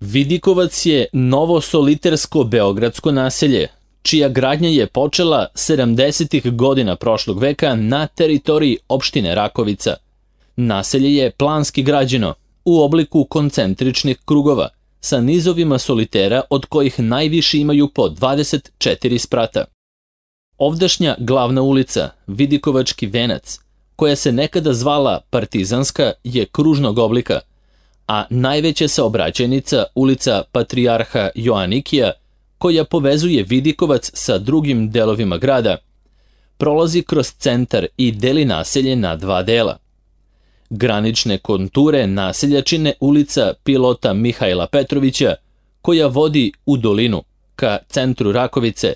Vidikovac je novo solitersko beogradsko naselje, čija gradnja je počela 70. godina prošlog veka na teritoriji opštine Rakovica. Naselje je planski građeno, u obliku koncentričnih krugova, sa nizovima solitera od kojih najviši imaju po 24 sprata. Ovdašnja glavna ulica, Vidikovački venac, koja se nekada zvala Partizanska, je kružnog oblika, a najveća saobraćajnica, ulica Patrijarha Joanikija, koja povezuje Vidikovac sa drugim delovima grada, prolazi kroz centar i deli naselje na dva dela. Granične konture naselja čine ulica pilota Mihajla Petrovića, koja vodi u dolinu, ka centru Rakovice,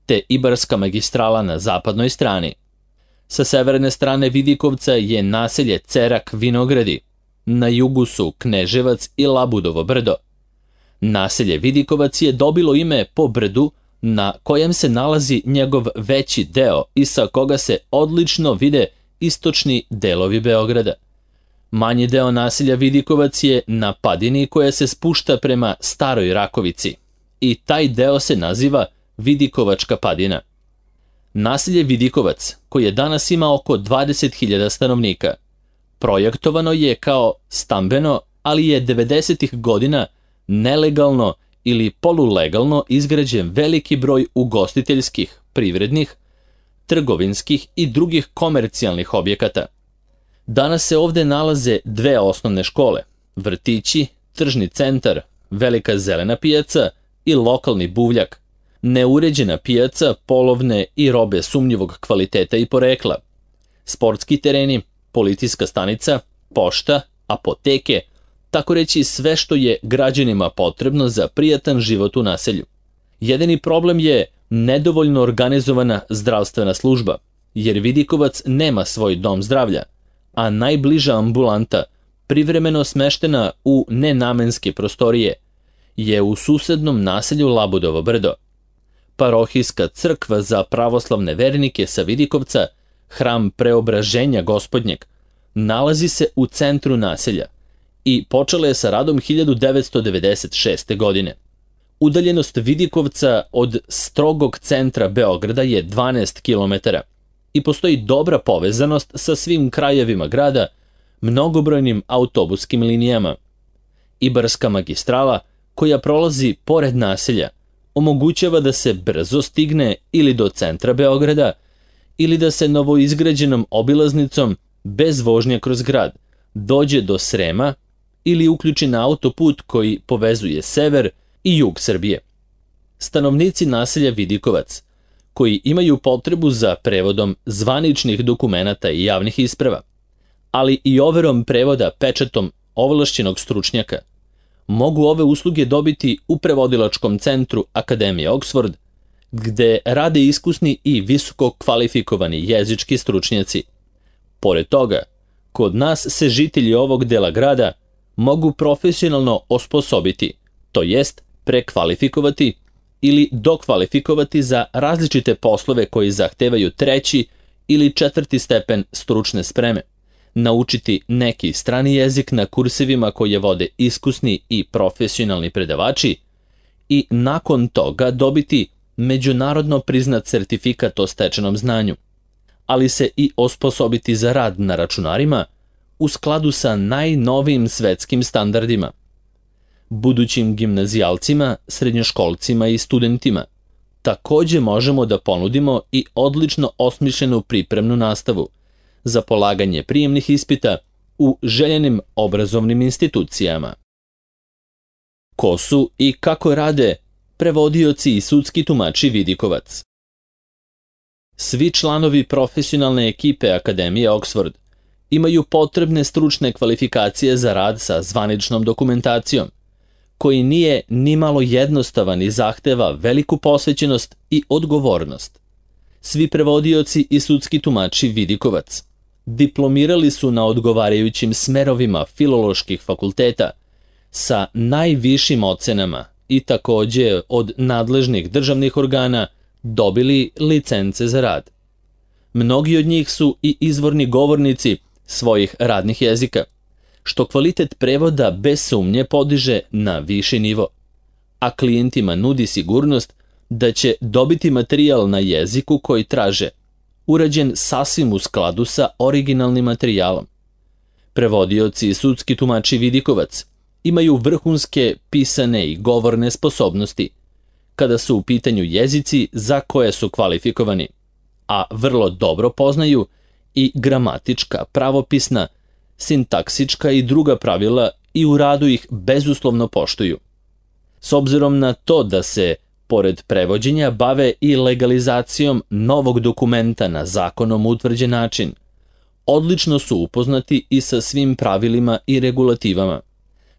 te Ibarska magistrala na zapadnoj strani. Sa severne strane Vidikovca je naselje Cerak Vinogradi, na jugu su Kneževac i Labudovo brdo. Naselje Vidikovac je dobilo ime po brdu na kojem se nalazi njegov veći deo i sa koga se odlično vide istočni delovi Beograda. Manji deo naselja Vidikovac je na padini koja se spušta prema Staroj Rakovici i taj deo se naziva Vidikovačka padina. Naselje Vidikovac, koje danas ima oko 20.000 stanovnika, projektovano je kao stambeno, ali je 90. godina nelegalno ili polulegalno izgrađen veliki broj ugostiteljskih, privrednih, trgovinskih i drugih komercijalnih objekata. Danas se ovde nalaze dve osnovne škole, vrtići, tržni centar, velika zelena pijaca i lokalni buvljak, neuređena pijaca polovne i robe sumnjivog kvaliteta i porekla, sportski tereni, policijska stanica, pošta, apoteke, tako reći sve što je građanima potrebno za prijatan život u naselju. Jedini problem je nedovoljno organizovana zdravstvena služba, jer Vidikovac nema svoj dom zdravlja, a najbliža ambulanta, privremeno smeštena u nenamenske prostorije, je u susednom naselju Labudovo brdo. Parohijska crkva za pravoslavne vernike sa Vidikovca, hram Preobraženja Gospodnjeg, nalazi se u centru naselja i počela je sa radom 1996. godine. Udaljenost Vidikovca od strogog centra Beograda je 12 km i postoji dobra povezanost sa svim krajevima grada, mnogobrojnim autobuskim linijama. Ibarska magistrala, koja prolazi pored naselja, omogućava da se brzo stigne ili do centra Beograda, ili da se novoizgrađenom obilaznicom bez vožnje kroz grad dođe do Srema ili uključi na autoput koji povezuje sever i jug Srbije. Stanovnici naselja Vidikovac, koji imaju potrebu za prevodom zvaničnih dokumenata i javnih isprava, ali i overom prevoda pečatom ovlašćenog stručnjaka, mogu ove usluge dobiti u prevodilačkom centru Akademije Oxford, gde rade iskusni i visoko kvalifikovani jezički stručnjaci. Pored toga, kod nas se žitelji ovog dela grada mogu profesionalno osposobiti, to jest prekvalifikovati ili dokvalifikovati za različite poslove koji zahtevaju 3. ili 4. stepen stručne spreme, naučiti neki strani jezik na kursevima koje vode iskusni i profesionalni predavači i nakon toga dobiti međunarodno priznat sertifikat o stečenom znanju, ali se i osposobiti za rad na računarima u skladu sa najnovijim svetskim standardima. Budućim gimnazijalcima, srednjoškolcima i studentima takođe možemo da ponudimo i odlično osmišljenu pripremnu nastavu za polaganje prijemnih ispita u željenim obrazovnim institucijama. Ko su i kako rade prevodioci i sudski tumači Vidikovac? Svi članovi profesionalne ekipe Akademije Oxford imaju potrebne stručne kvalifikacije za rad sa zvaničnom dokumentacijom, koji nije ni malo jednostavan i zahteva veliku posvećenost i odgovornost. Svi prevodioci i sudski tumači Vidikovac diplomirali su na odgovarajućim smerovima filoloških fakulteta sa najvišim ocenama i takođe od nadležnih državnih organa dobili licence za rad. Mnogi od njih su i izvorni govornici svojih radnih jezika, što kvalitet prevoda bez sumnje podiže na viši nivo, a klijentima nudi sigurnost da će dobiti materijal na jeziku koji traže, urađen sasvim u skladu sa originalnim materijalom. Prevodioci i sudski tumači vidikovac imaju vrhunske pisane i govorne sposobnosti, kada su u pitanju jezici za koje su kvalifikovani, a vrlo dobro poznaju i gramatička, pravopisna, sintaksička i druga pravila i u radu ih bezuslovno poštuju. S obzirom na to da se, pored prevođenja, bave i legalizacijom novog dokumenta na zakonom utvrđen način, odlično su upoznati i sa svim pravilima i regulativama,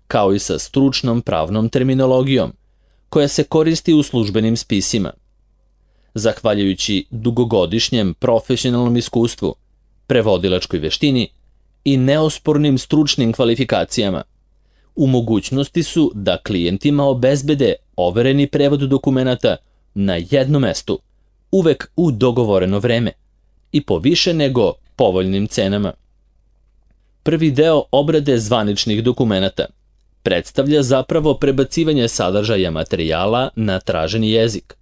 kao i sa stručnom pravnom terminologijom, koja se koristi u službenim spisima. Zahvaljujući dugogodišnjem profesionalnom iskustvu, prevodilačkoj veštini i neospornim stručnim kvalifikacijama, u mogućnosti su da klijentima obezbede overeni prevod dokumenata na jednom mestu, uvek u dogovoreno vreme i po više nego povoljnim cenama. Prvi deo obrade zvaničnih dokumenata predstavlja zapravo prebacivanje sadržaja materijala na traženi jezik.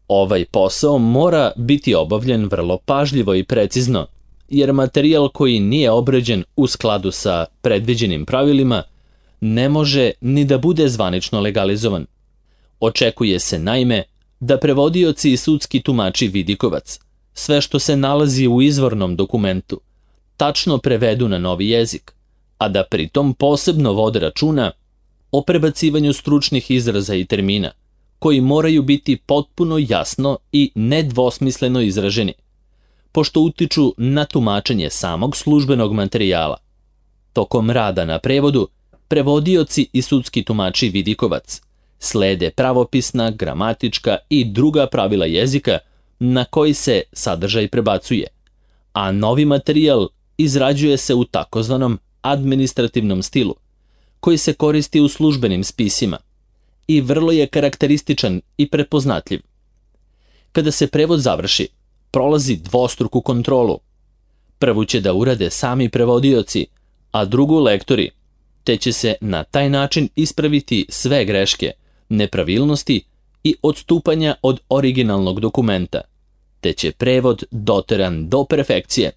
Ovaj posao mora biti obavljen vrlo pažljivo i precizno, jer materijal koji nije obrađen u skladu sa predviđenim pravilima ne može ni da bude zvanično legalizovan. Očekuje se naime da prevodioci i sudski tumači vidikovac sve što se nalazi u izvornom dokumentu tačno prevedu na novi jezik, a da pritom posebno vode računa o prebacivanju stručnih izraza i termina, koji moraju biti potpuno jasno i nedvosmisleno izraženi, pošto utiču na tumačenje samog službenog materijala. Tokom rada na prevodu, prevodioci i sudski tumači vidikovac slede pravopisna, gramatička i druga pravila jezika na koji se sadržaj prebacuje, a novi materijal izrađuje se u takozvanom administrativnom stilu, koji se koristi u službenim spisima i vrlo je karakterističan i prepoznatljiv. Kada se prevod završi, prolazi dvostruku kontrolu. Prvu će da urade sami prevodioci, a drugu lektori, te će se na taj način ispraviti sve greške, nepravilnosti i odstupanja od originalnog dokumenta, te će prevod doteran do perfekcije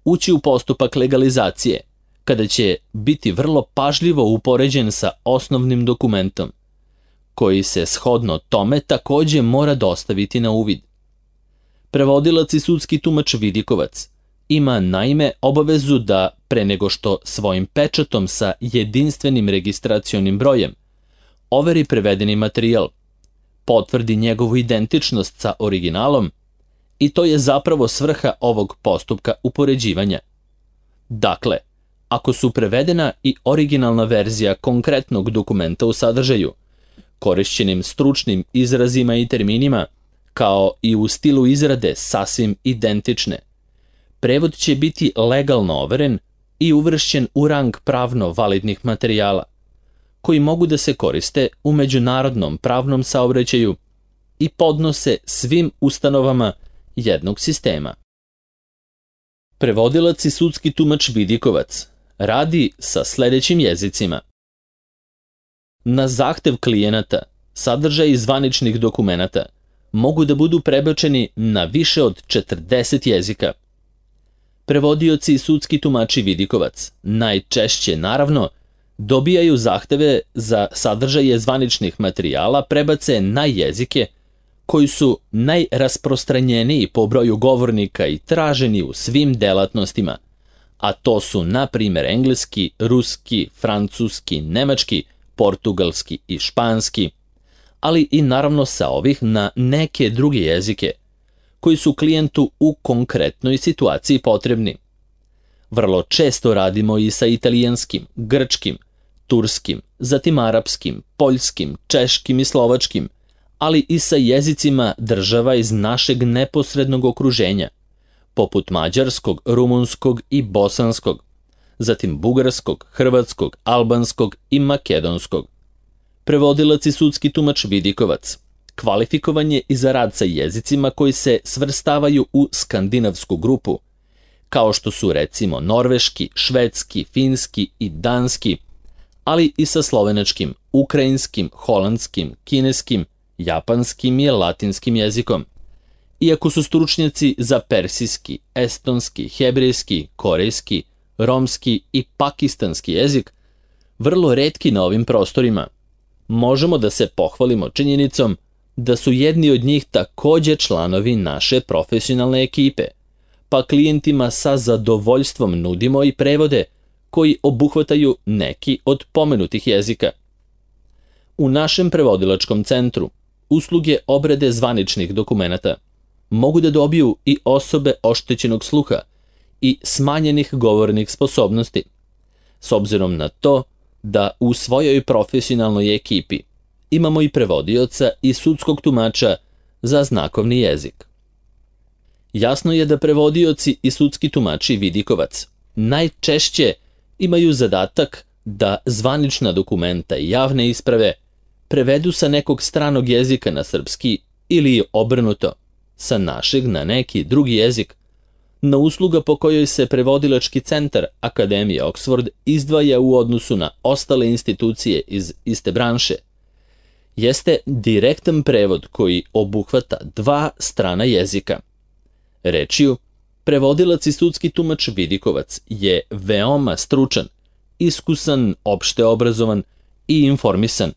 ući u postupak legalizacije, kada će biti vrlo pažljivo upoređen sa osnovnim dokumentom, koji se shodno tome takođe mora dostaviti na uvid. Prevodilac i sudski tumač vidikovac ima naime obavezu da, pre nego što svojim pečatom sa jedinstvenim registracionim brojem overi prevedeni materijal, potvrdi njegovu identičnost sa originalom, i to je zapravo svrha ovog postupka upoređivanja. Dakle, ako su prevedena i originalna verzija konkretnog dokumenta u sadržaju, korišćenim stručnim izrazima i terminima, kao i u stilu izrade sasvim identične, prevod će biti legalno overen i uvršćen u rang pravno validnih materijala, koji mogu da se koriste u međunarodnom pravnom saobraćaju i podnose svim ustanovama jednog sistema. Prevodilac i sudski tumač vidikovac radi sa sledećim jezicima. Na zahtev klijenata, sadržaji zvaničnih dokumenata mogu da budu prebačeni na više od 40 jezika. Prevodioci i sudski tumači vidikovac najčešće, naravno, dobijaju zahteve za sadržaje zvaničnih materijala prebace na jezike koji su najrasprostranjeniji po broju govornika i traženi u svim delatnostima, a to su, na primjer, engleski, ruski, francuski, nemački, portugalski i španski, ali i naravno sa ovih na neke druge jezike, koji su klijentu u konkretnoj situaciji potrebni. Vrlo često radimo i sa italijanskim, grčkim, turskim, zatim arapskim, poljskim, češkim i slovačkim, ali i sa jezicima država iz našeg neposrednog okruženja, poput mađarskog, rumunskog i bosanskog, zatim bugarskog, hrvatskog, albanskog i makedonskog. Prevodilac i sudski tumač vidikovac kvalifikovan je i za rad sa jezicima koji se svrstavaju u skandinavsku grupu, kao što su recimo norveški, švedski, finski i danski, ali i sa slovenačkim, ukrajinskim, holandskim, kineskim, japanskim i latinskim jezikom. Iako su stručnjaci za persijski, estonski, hebrejski, korejski, romski i pakistanski jezik vrlo retki na ovim prostorima, možemo da se pohvalimo činjenicom da su jedni od njih takođe članovi naše profesionalne ekipe, pa klijentima sa zadovoljstvom nudimo i prevode koji obuhvataju neki od pomenutih jezika. U našem prevodilačkom centru usluge obrade zvaničnih dokumenata mogu da dobiju i osobe oštećenog sluha i smanjenih govornih sposobnosti, s obzirom na to da u svojoj profesionalnoj ekipi imamo i prevodioca i sudskog tumača za znakovni jezik. Jasno je da prevodioci i sudski tumači vidikovac najčešće imaju zadatak da zvanična dokumenta i javne isprave prevedu sa nekog stranog jezika na srpski ili obrnuto, sa našeg na neki drugi jezik, na usluga po kojoj se prevodilački centar Akademije Oxford izdvaja u odnosu na ostale institucije iz iste branše, jeste direktan prevod koji obuhvata dva strana jezika. Rečju, prevodilac i sudski tumač vidikovac je veoma stručan, iskusan, opšte obrazovan i informisan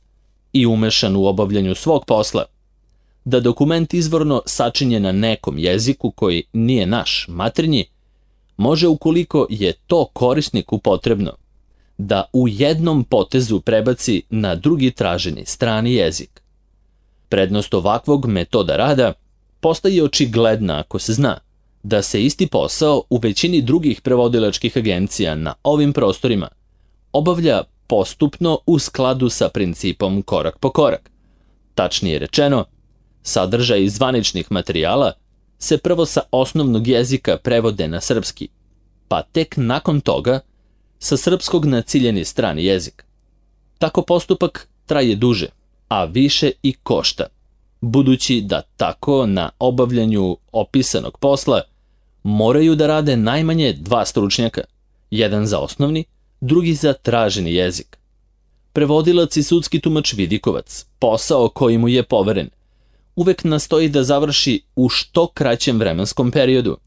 i umešan u obavljanju svog posla. Da dokument izvorno sačinjen na nekom jeziku koji nije naš maternji, može, ukoliko je to korisniku potrebno, da u jednom potezu prebaci na drugi traženi strani jezik. Prednost ovakvog metoda rada postaje očigledna ako se zna da se isti posao u većini drugih prevodilačkih agencija na ovim prostorima obavlja postupno u skladu sa principom korak po korak. Tačnije rečeno, sadržaj zvaničnih materijala se prvo sa osnovnog jezika prevode na srpski, pa tek nakon toga sa srpskog na ciljeni strani jezik. Tako postupak traje duže, a više i košta, budući da tako na obavljanju opisanog posla moraju da rade najmanje dva stručnjaka, jedan za osnovni, drugi za traženi jezik. Prevodilac i sudski tumač vidikovac, posao koji mu je poveren, uvek nastoji da završi u što kraćem vremenskom periodu,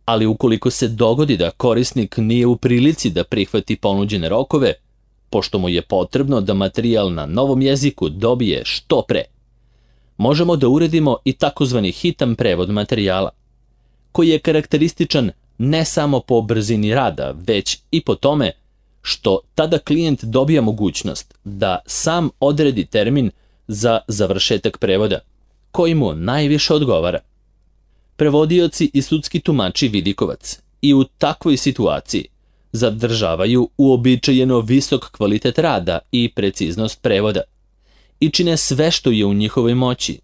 ali ukoliko se dogodi da korisnik nije u prilici da prihvati ponuđene rokove, pošto mu je potrebno da materijal na novom jeziku dobije što pre, možemo da uredimo i takozvani hitan prevod materijala, koji je karakterističan ne samo po brzini rada, već i po tome što tada klijent dobija mogućnost da sam odredi termin za završetak prevoda, koji mu najviše odgovara. Prevodioci i sudski tumači vidikovac i u takvoj situaciji zadržavaju uobičajeno visok kvalitet rada i preciznost prevoda i čine sve što je u njihovoj moći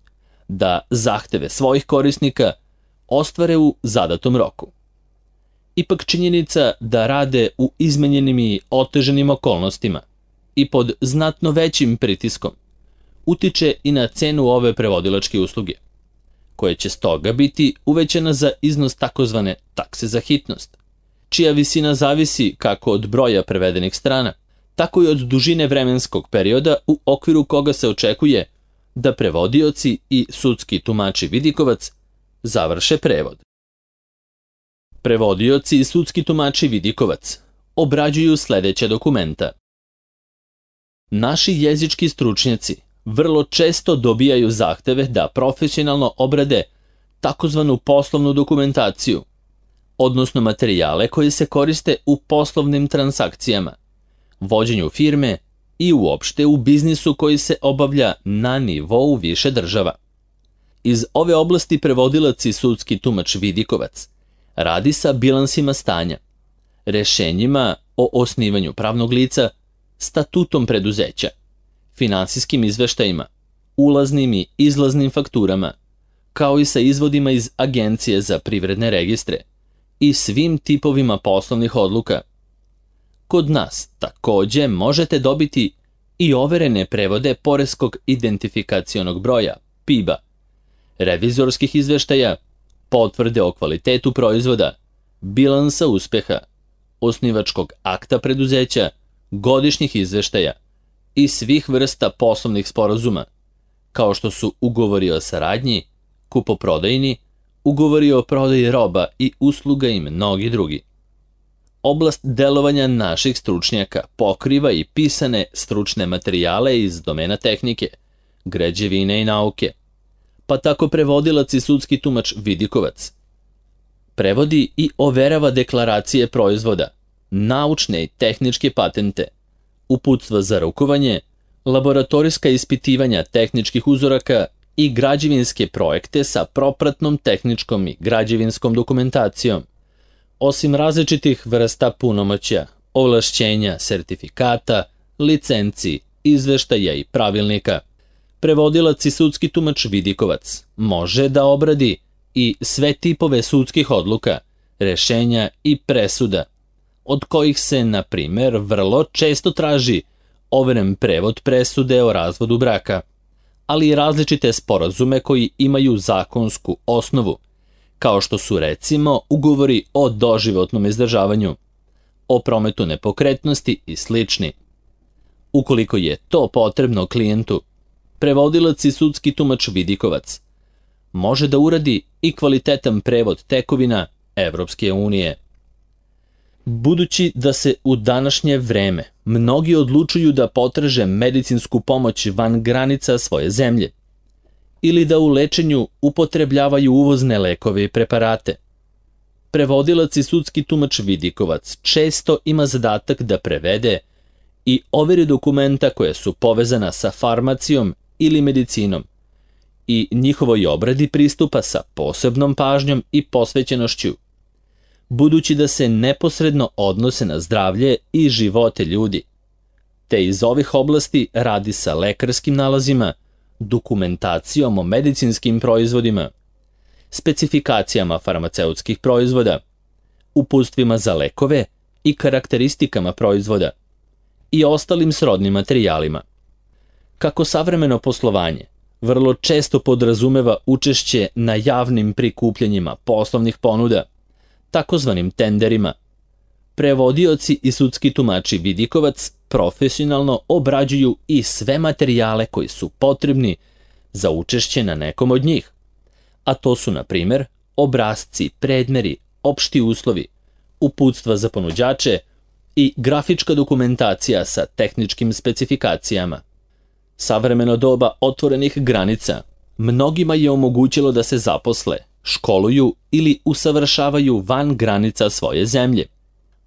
da zahteve svojih korisnika ostvare u zadatom roku. Ipak činjenica da rade u izmenjenim i otežanim okolnostima i pod znatno većim pritiskom utiče i na cenu ove prevodilačke usluge, koja će stoga biti uvećana za iznos takozvane takse za hitnost, čija visina zavisi kako od broja prevedenih strana, tako i od dužine vremenskog perioda u okviru koga se očekuje da prevodioci i sudski tumači vidikovac završe prevod. Prevodioci i sudski tumači vidikovac obrađuju sledeća dokumenta. Naši jezički stručnjaci vrlo često dobijaju zahteve da profesionalno obrade takozvanu poslovnu dokumentaciju, odnosno materijale koji se koriste u poslovnim transakcijama, vođenju firme i uopšte u biznisu koji se obavlja na nivou više država. Iz ove oblasti prevodilac i sudski tumač vidikovac radi sa bilansima stanja, rešenjima o osnivanju pravnog lica, statutom preduzeća, finansijskim izveštajima, ulaznim i izlaznim fakturama, kao i sa izvodima iz Agencije za privredne registre i svim tipovima poslovnih odluka. Kod nas takođe možete dobiti i overene prevode poreskog identifikacionog broja, PIB-a, revizorskih izveštaja, potvrde o kvalitetu proizvoda, bilansa uspeha, osnivačkog akta preduzeća, godišnjih izveštaja i svih vrsta poslovnih sporazuma, kao što su ugovori o saradnji, kupoprodajni, ugovori o prodaji roba i usluga i mnogi drugi. Oblast delovanja naših stručnjaka pokriva i pisane stručne materijale iz domena tehnike, građevine i nauke, pa tako prevodilac i sudski tumač vidikovac. Prevodi i overava deklaracije proizvoda, naučne i tehničke patente, uputstva za rukovanje, laboratorijska ispitivanja tehničkih uzoraka i građevinske projekte sa propratnom tehničkom i građevinskom dokumentacijom, osim različitih vrsta punomoćja, ovlašćenja, sertifikata, licenci, izveštaja i pravilnika. Prevodilac i sudski tumač vidikovac može da obradi i sve tipove sudskih odluka, rešenja i presuda, od kojih se, na primer, vrlo često traži overen prevod presude o razvodu braka, ali i različite sporazume koji imaju zakonsku osnovu, kao što su recimo ugovori o doživotnom izdržavanju, o prometu nepokretnosti i slični. Ukoliko je to potrebno klijentu, prevodilac i sudski tumač vidikovac može da uradi i kvalitetan prevod tekovina Evropske unije. Budući da se u današnje vreme mnogi odlučuju da potraže medicinsku pomoć van granica svoje zemlje ili da u lečenju upotrebljavaju uvozne lekove i preparate, prevodilac i sudski tumač vidikovac često ima zadatak da prevede i overi dokumenta koja su povezana sa farmacijom ili medicinom i njihovoj obradi pristupa sa posebnom pažnjom i posvećenošću, budući da se neposredno odnose na zdravlje i živote ljudi, te iz ovih oblasti radi sa lekarskim nalazima, dokumentacijom o medicinskim proizvodima, specifikacijama farmaceutskih proizvoda, uputstvima za lekove i karakteristikama proizvoda i ostalim srodnim materijalima. Kako savremeno poslovanje vrlo često podrazumeva učešće na javnim prikupljanjima poslovnih ponuda, takozvanim tenderima, prevodioci i sudski tumači vidikovac profesionalno obrađuju i sve materijale koji su potrebni za učešće na nekom od njih, a to su, na primer, obrasci, predmeri, opšti uslovi, uputstva za ponuđače i grafička dokumentacija sa tehničkim specifikacijama. Savremeno doba otvorenih granica mnogima je omogućilo da se zaposle, školuju ili usavršavaju van granica svoje zemlje,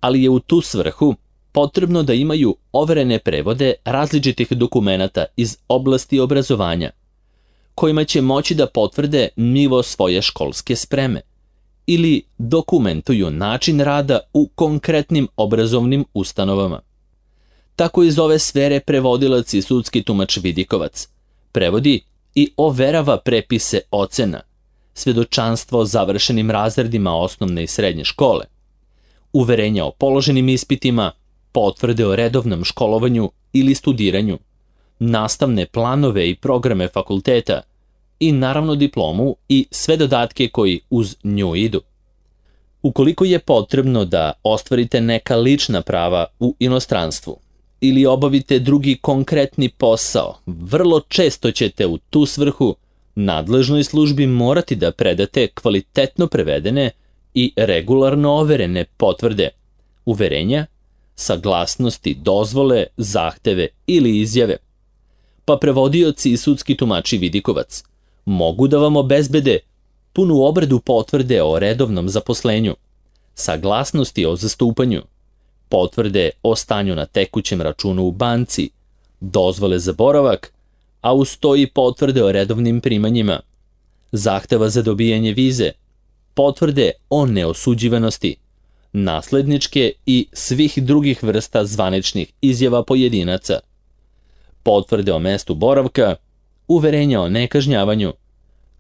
ali je u tu svrhu potrebno da imaju overene prevode različitih dokumenata iz oblasti obrazovanja, kojima će moći da potvrde nivo svoje školske spreme ili dokumentuju način rada u konkretnim obrazovnim ustanovama. Tako iz ove sfere prevodilac i sudski tumač vidikovac prevodi i overava prepise ocena, svedočanstvo o završenim razredima osnovne i srednje škole, uverenja o položenim ispitima, potvrde o redovnom školovanju ili studiranju, nastavne planove i programe fakulteta i naravno diplomu i sve dodatke koji uz nju idu. Ukoliko je potrebno da ostvarite neka lična prava u inostranstvu ili obavite drugi konkretni posao, vrlo često ćete u tu svrhu nadležnoj službi morati da predate kvalitetno prevedene i regularno overene potvrde, uverenja, saglasnosti, dozvole, zahteve ili izjave. Pa prevodioci i sudski tumači vidikovac mogu da vam obezbede punu obradu potvrde o redovnom zaposlenju, saglasnosti o zastupanju, potvrde o stanju na tekućem računu u banci, dozvole za boravak, a uz to i potvrde o redovnim primanjima, zahteva za dobijanje vize, potvrde o neosuđivanosti, nasledničke i svih drugih vrsta zvaničnih izjava pojedinaca, potvrde o mestu boravka, uverenja o nekažnjavanju,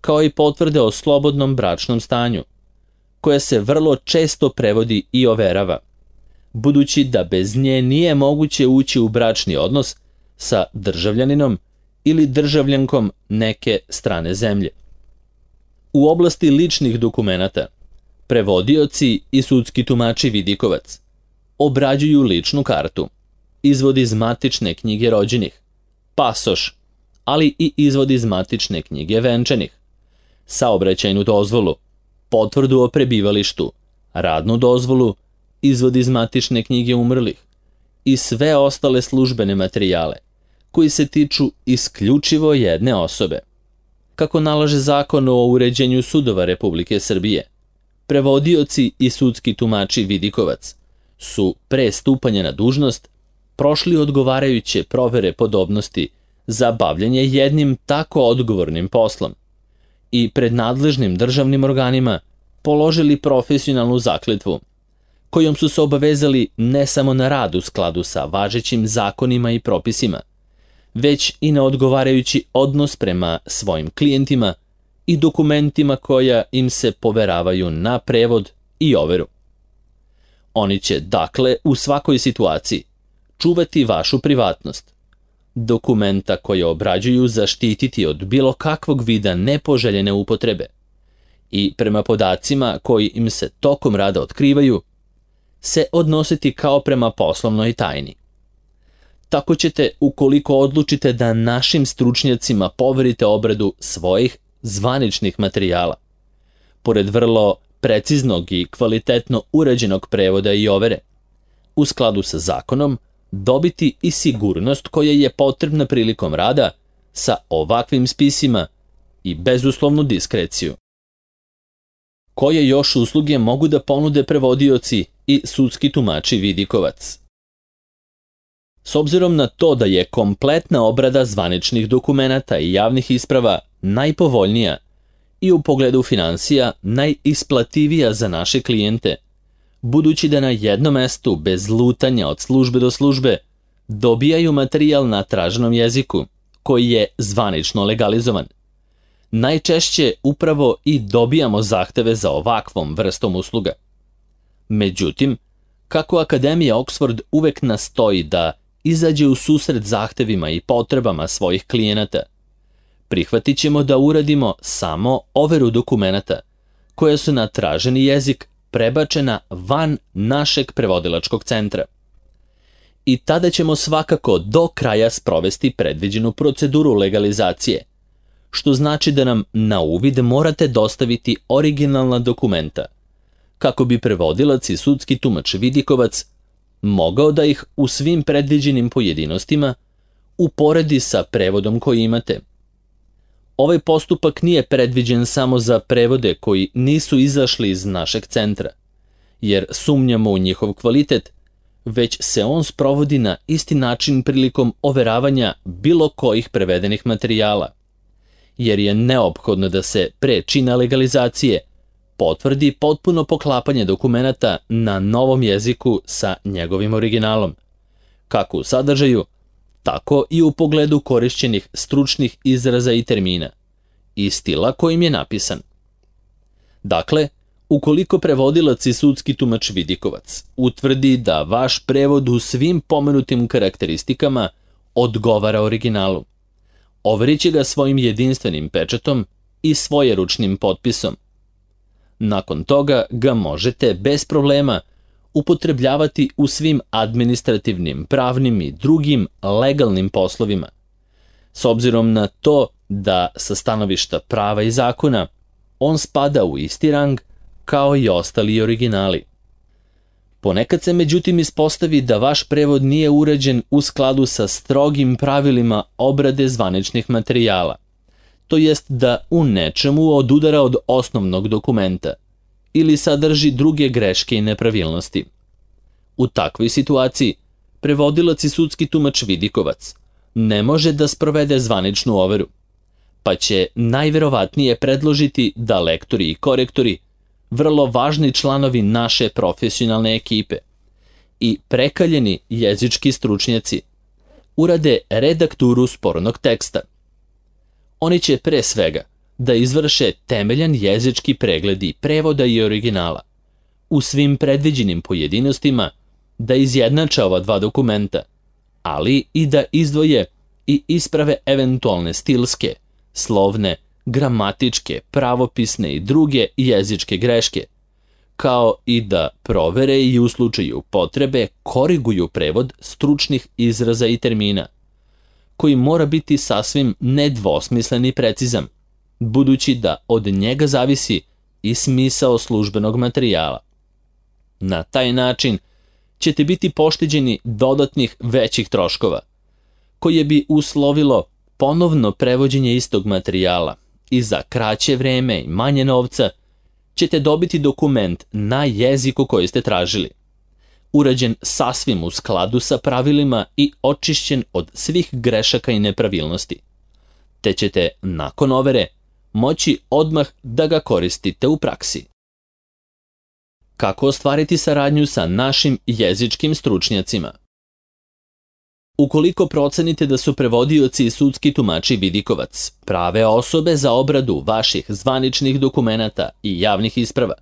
kao i potvrde o slobodnom bračnom stanju, koja se vrlo često prevodi i overava, budući da bez nje nije moguće ući u bračni odnos sa državljaninom ili državljankom neke strane zemlje. U oblasti ličnih dokumenata, Prevodioci i sudski tumači vidikovac obrađuju ličnu kartu, izvod iz matične knjige rođenih, pasoš, ali i izvod iz matične knjige venčanih, saobraćajnu dozvolu, potvrdu o prebivalištu, radnu dozvolu, izvod iz matične knjige umrlih i sve ostale službene materijale koji se tiču isključivo jedne osobe. Kako nalaže Zakon o uređenju sudova Republike Srbije, prevodioci i sudski tumači vidikovac su pre stupanja na dužnost prošli odgovarajuće provere podobnosti za bavljanje jednim tako odgovornim poslom i pred nadležnim državnim organima položili profesionalnu zakletvu, kojom su se obavezali ne samo na rad u skladu sa važećim zakonima i propisima, već i na odgovarajući odnos prema svojim klijentima i dokumentima koja im se poveravaju na prevod i overu. Oni će, dakle, u svakoj situaciji čuvati vašu privatnost, dokumenta koje obrađuju zaštititi od bilo kakvog vida nepoželjene upotrebe i prema podacima koji im se tokom rada otkrivaju, se odnositi kao prema poslovnoj tajni. Tako ćete, ukoliko odlučite da našim stručnjacima poverite obradu svojih zvaničnih materijala, pored vrlo preciznog i kvalitetno uređenog prevoda i overe, u skladu sa zakonom, dobiti i sigurnost koja je potrebna prilikom rada sa ovakvim spisima i bezuslovnu diskreciju. Koje još usluge mogu da ponude prevodioci i sudski tumači vidikovac? S obzirom na to da je kompletna obrada zvaničnih dokumenata i javnih isprava najpovoljnija i u pogledu finansija najisplativija za naše klijente, budući da na jednom mestu bez lutanja od službe do službe dobijaju materijal na traženom jeziku koji je zvanično legalizovan, najčešće upravo i dobijamo zahteve za ovakvom vrstom usluga. Međutim, kako Akademija Oxford uvek nastoji da izađe u susret zahtevima i potrebama svojih klijenata, prihvatit ćemo da uradimo samo overu dokumenata koja su na traženi jezik prebačena van našeg prevodilačkog centra. I tada ćemo svakako do kraja sprovesti predviđenu proceduru legalizacije, što znači da nam na uvid morate dostaviti originalna dokumenta, kako bi prevodilac i sudski tumač vidikovac mogao da ih u svim predviđenim pojedinostima uporedi sa prevodom koji imate. Ovaj postupak nije predviđen samo za prevode koji nisu izašli iz našeg centra, jer sumnjamo u njihov kvalitet, već se on sprovodi na isti način prilikom overavanja bilo kojih prevedenih materijala, jer je neophodno da se pre čina legalizacije potvrdi potpuno poklapanje dokumenata na novom jeziku sa njegovim originalom, kako u sadržaju, tako i u pogledu korišćenih stručnih izraza i termina i stila kojim je napisan. Dakle, ukoliko prevodilac i sudski tumač vidikovac utvrdi da vaš prevod u svim pomenutim karakteristikama odgovara originalu, overit će ga svojim jedinstvenim pečatom i svojeručnim potpisom. Nakon toga ga možete bez problema upotrebljavati u svim administrativnim, pravnim i drugim legalnim poslovima, s obzirom na to da sa stanovišta prava i zakona on spada u isti rang kao i ostali originali. Ponekad se međutim ispostavi da vaš prevod nije uređen u skladu sa strogim pravilima obrade zvaničnih materijala, to jest da u nečemu odudara od osnovnog dokumenta ili sadrži druge greške i nepravilnosti. U takvoj situaciji prevodilac i sudski tumač vidikovac ne može da sprovede zvaničnu overu, pa će najverovatnije predložiti da lektori i korektori, vrlo važni članovi naše profesionalne ekipe i prekaljeni jezički stručnjaci, urade redakturu spornog teksta. Oni će pre svega da izvrše temeljan jezički pregled i prevoda i originala, u svim predviđenim pojedinostima da izjednače ova dva dokumenta, ali i da izdvoje i isprave eventualne stilske, slovne, gramatičke, pravopisne i druge jezičke greške, kao i da provere i u slučaju potrebe koriguju prevod stručnih izraza i termina, koji mora biti sasvim nedvosmislen i precizan, budući da od njega zavisi i smisao službenog materijala. Na taj način ćete biti pošteđeni dodatnih većih troškova, koje bi uslovilo ponovno prevođenje istog materijala i za kraće vreme i manje novca ćete dobiti dokument na jeziku koji ste tražili, urađen sasvim u skladu sa pravilima i očišćen od svih grešaka i nepravilnosti, te ćete nakon overe moći odmah da ga koristite u praksi. Kako ostvariti saradnju sa našim jezičkim stručnjacima? Ukoliko procenite da su prevodioci i sudski tumači vidikovac prave osobe za obradu vaših zvaničnih dokumenata i javnih isprava,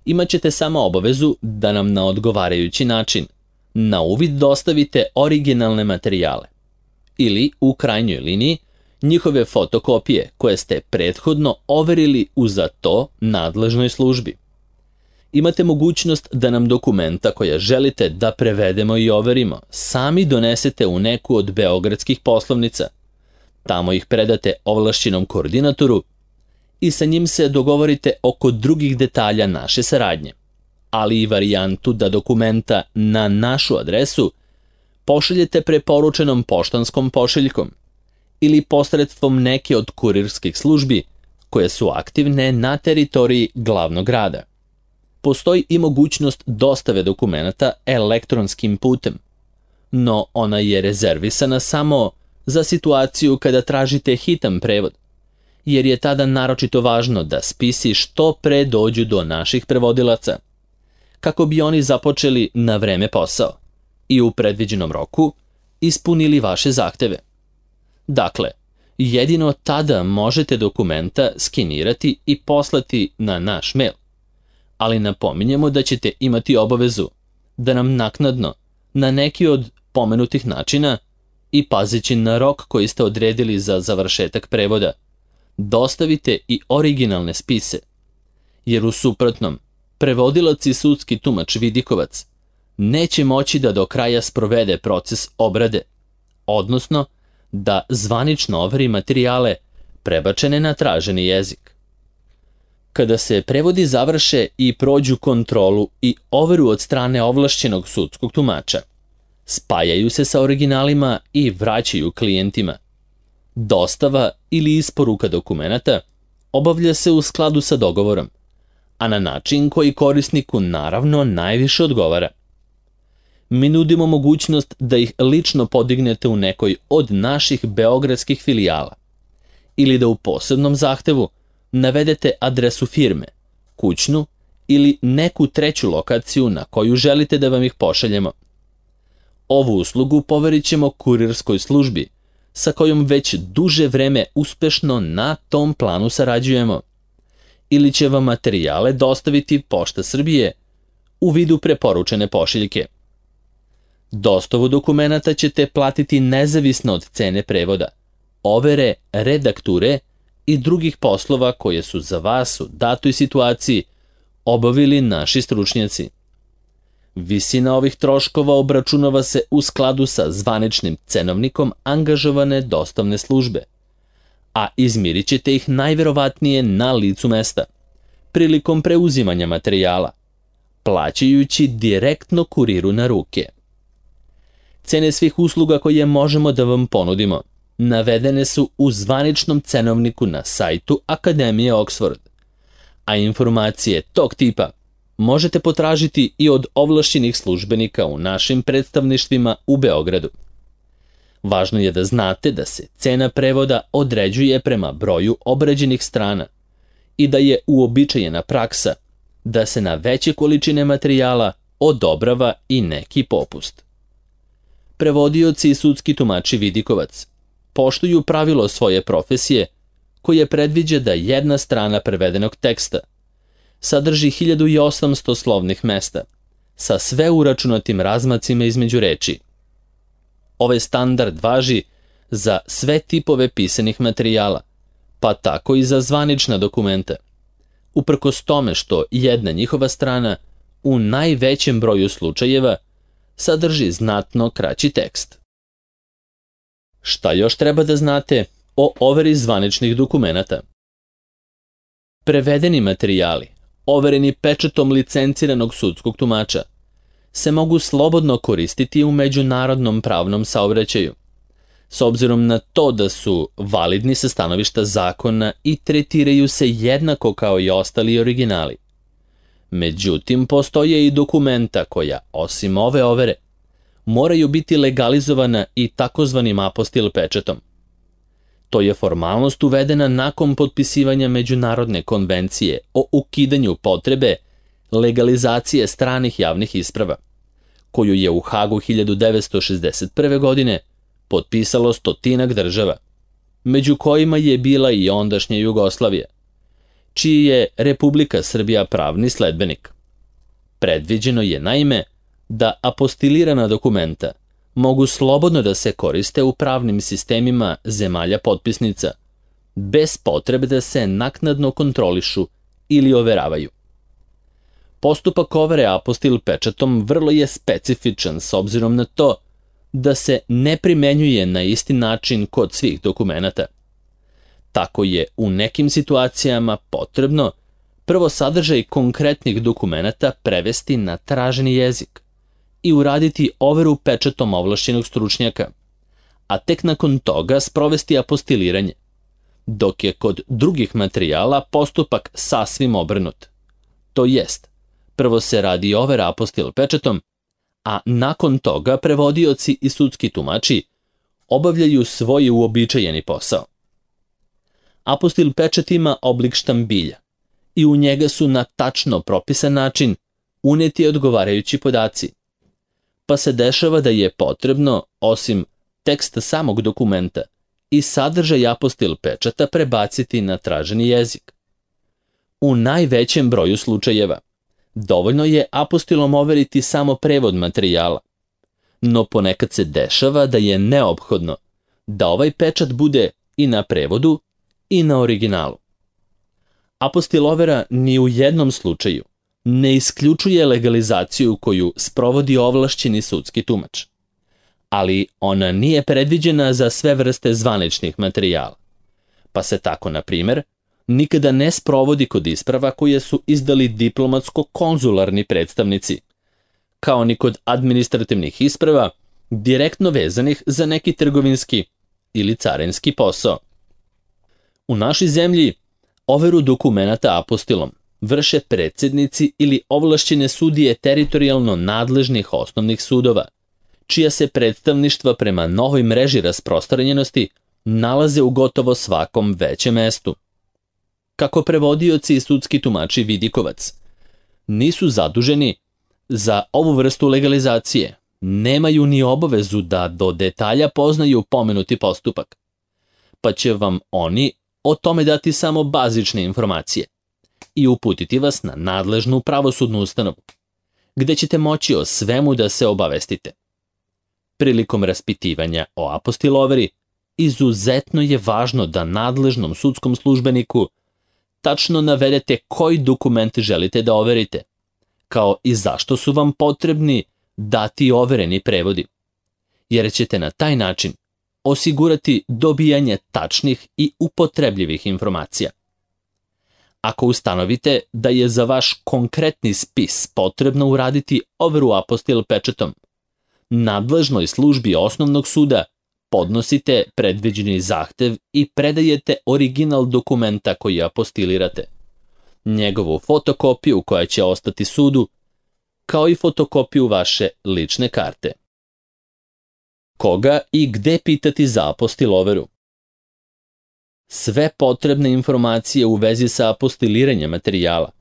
imat ćete samo obavezu da nam na odgovarajući način na uvid dostavite originalne materijale ili, u krajnjoj liniji, njihove fotokopije koje ste prethodno overili u za to nadležnoj službi. Imate mogućnost da nam dokumenta koja želite da prevedemo i overimo sami donesete u neku od beogradskih poslovnica. Tamo ih predate ovlašćenom koordinatoru i sa njim se dogovorite oko drugih detalja naše saradnje, ali i varijantu da dokumenta na našu adresu pošaljete preporučenom poštanskom pošiljkom ili posredstvom neke od kurirskih službi koje su aktivne na teritoriji glavnog grada. Postoji i mogućnost dostave dokumenata elektronskim putem, no ona je rezervisana samo za situaciju kada tražite hitan prevod, jer je tada naročito važno da spisi što pre dođu do naših prevodilaca, kako bi oni započeli na vreme posao i u predviđenom roku ispunili vaše zahteve. Dakle, jedino tada možete dokumenta skenirati i poslati na naš mail, ali napominjemo da ćete imati obavezu da nam naknadno, na neki od pomenutih načina i pazeći na rok koji ste odredili za završetak prevoda, dostavite i originalne spise, jer u suprotnom, prevodilac i sudski tumač vidikovac neće moći da do kraja sprovede proces obrade, odnosno da zvanično overi materijale prebačene na traženi jezik. Kada se prevodi završe i prođu kontrolu i overu od strane ovlašćenog sudskog tumača, spajaju se sa originalima i vraćaju klijentima. Dostava ili isporuka dokumenata obavlja se u skladu sa dogovorom, a na način koji korisniku naravno najviše odgovara. Mi nudimo mogućnost da ih lično podignete u nekoj od naših beogradskih filijala ili da u posebnom zahtevu navedete adresu firme, kućnu ili neku treću lokaciju na koju želite da vam ih pošaljemo. Ovu uslugu poverit ćemo kurirskoj službi, sa kojom već duže vreme uspešno na tom planu sarađujemo, ili će vam materijale dostaviti Pošta Srbije u vidu preporučene pošiljke. Dostavu dokumenata ćete platiti nezavisno od cene prevoda, overe, redakture i drugih poslova koje su za vas u datoj situaciji obavili naši stručnjaci. Visina ovih troškova obračunava se u skladu sa zvaničnim cenovnikom angažovane dostavne službe, a izmirit ćete ih najverovatnije na licu mesta, prilikom preuzimanja materijala, plaćajući direktno kuriru na ruke. Cene svih usluga koje možemo da vam ponudimo navedene su u zvaničnom cenovniku na sajtu Akademije Oxford, a informacije tog tipa možete potražiti i od ovlašćenih službenika u našim predstavništvima u Beogradu. Važno je da znate da se cena prevoda određuje prema broju obrađenih strana i da je uobičajena praksa da se na veće količine materijala odobrava i neki popust. Prevodioci i sudski tumači vidikovac poštuju pravilo svoje profesije koje predviđa da jedna strana prevedenog teksta sadrži 1800 slovnih mesta sa sve uračunatim razmacima između reči. Ovaj standard važi za sve tipove pisanih materijala, pa tako i za zvanična dokumenta, uprkos tome što jedna njihova strana u najvećem broju slučajeva sadrži znatno kraći tekst. Šta još treba da znate o overi zvaničnih dokumenata? Prevedeni materijali, overeni pečatom licenciranog sudskog tumača, se mogu slobodno koristiti u međunarodnom pravnom saobraćaju, s obzirom na to da su validni sa stanovišta zakona i tretiraju se jednako kao i ostali originali. Međutim, postoje i dokumenta koja, osim ove overe, moraju biti legalizovana i takozvanim apostil pečatom. To je formalnost uvedena nakon potpisivanja Međunarodne konvencije o ukidanju potrebe legalizacije stranih javnih isprava, koju je u Hagu 1961. godine potpisalo 100 država, među kojima je bila i ondašnja Jugoslavija, čiji je Republika Srbija pravni sledbenik. Predviđeno je naime da apostilirana dokumenta mogu slobodno da se koriste u pravnim sistemima zemalja potpisnica, bez potrebe da se naknadno kontrolišu ili overavaju. Postupak overe apostil pečatom vrlo je specifičan s obzirom na to da se ne primenjuje na isti način kod svih dokumenata. Tako je u nekim situacijama potrebno prvo sadržaj konkretnih dokumenata prevesti na traženi jezik i uraditi overu pečatom ovlašćenog stručnjaka, a tek nakon toga sprovesti apostiliranje, dok je kod drugih materijala postupak sasvim obrnut. To jest, prvo se radi overa apostil pečatom, a nakon toga prevodioci i sudski tumači obavljaju svoj uobičajeni posao. Apostil pečat ima oblik štambilja i u njega su na tačno propisan način uneti odgovarajući podaci, pa se dešava da je potrebno, osim teksta samog dokumenta, i sadržaj apostil pečata prebaciti na traženi jezik. U najvećem broju slučajeva dovoljno je apostilom overiti samo prevod materijala, no ponekad se dešava da je neophodno da ovaj pečat bude i na prevodu i na originalu. Apostil overa ni u jednom slučaju ne isključuje legalizaciju koju sprovodi ovlašćeni sudski tumač, ali ona nije predviđena za sve vrste zvaničnih materijala, pa se tako, na primjer, nikada ne sprovodi kod isprava koje su izdali diplomatsko-konzularni predstavnici, kao ni kod administrativnih isprava direktno vezanih za neki trgovinski ili carinski posao. U našoj zemlji overu dokumenata apostilom vrše predsjednici ili ovlašćene sudije teritorijalno nadležnih osnovnih sudova, čija se predstavništva prema novoj mreži rasprostranjenosti nalaze u gotovo svakom većem mestu. Kako prevodioci i sudski tumači vidikovac nisu zaduženi za ovu vrstu legalizacije, nemaju ni obavezu da do detalja poznaju pomenuti postupak, pa će vam oni o tome dati samo bazične informacije i uputiti vas na nadležnu pravosudnu ustanovu, gde ćete moći o svemu da se obavestite. Prilikom raspitivanja o apostil overi, izuzetno je važno da nadležnom sudskom službeniku tačno navedete koji dokument želite da overite, kao i zašto su vam potrebni dati overeni prevodi, jer ćete na taj način osigurati dobijanje tačnih i upotrebljivih informacija. Ako ustanovite da je za vaš konkretni spis potrebno uraditi overu apostil pečatom, nadležnoj službi osnovnog suda podnosite predviđeni zahtev i predajete original dokumenta koji apostilirate, njegovu fotokopiju koja će ostati sudu, kao i fotokopiju vaše lične karte. Koga i gde pitati za apostil overu? Sve potrebne informacije u vezi sa apostiliranjem materijala,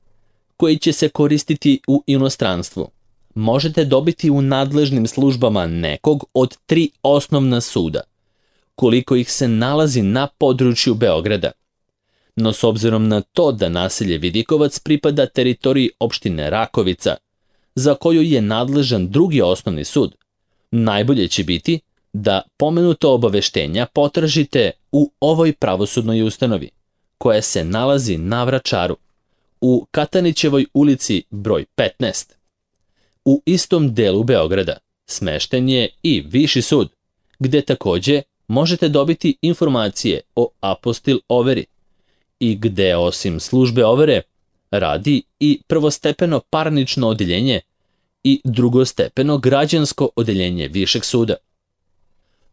koji će se koristiti u inostranstvu, možete dobiti u nadležnim službama nekog od 3 osnovna suda, koliko ih se nalazi na području Beograda. No s obzirom na to da naselje Vidikovac pripada teritoriji opštine Rakovica, za koju je nadležan drugi osnovni sud, najbolje će biti da pomenuto obaveštenja potražite u ovoj pravosudnoj ustanovi, koja se nalazi na Vračaru, u Katanićevoj ulici broj 15. U istom delu Beograda smešten je i Viši sud, gde takođe možete dobiti informacije o apostil overi i gde osim službe overe radi i prvostepeno parnično odeljenje i drugostepeno građansko odeljenje Višeg suda.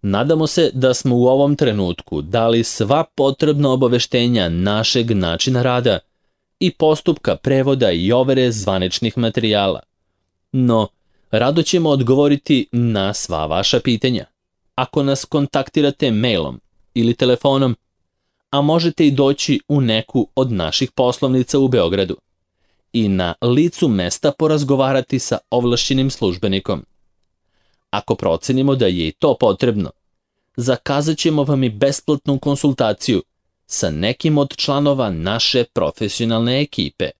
Nadamo se da smo u ovom trenutku dali sva potrebna obaveštenja našeg načina rada i postupka prevoda i overe zvaničnih materijala. No, rado ćemo odgovoriti na sva vaša pitanja. Ako nas kontaktirate mailom ili telefonom, a možete i doći u neku od naših poslovnica u Beogradu i na licu mesta porazgovarati sa ovlašćenim službenikom. Ako procenimo da je i to potrebno, zakazat ćemo vam i besplatnu konsultaciju sa nekim od članova naše profesionalne ekipe.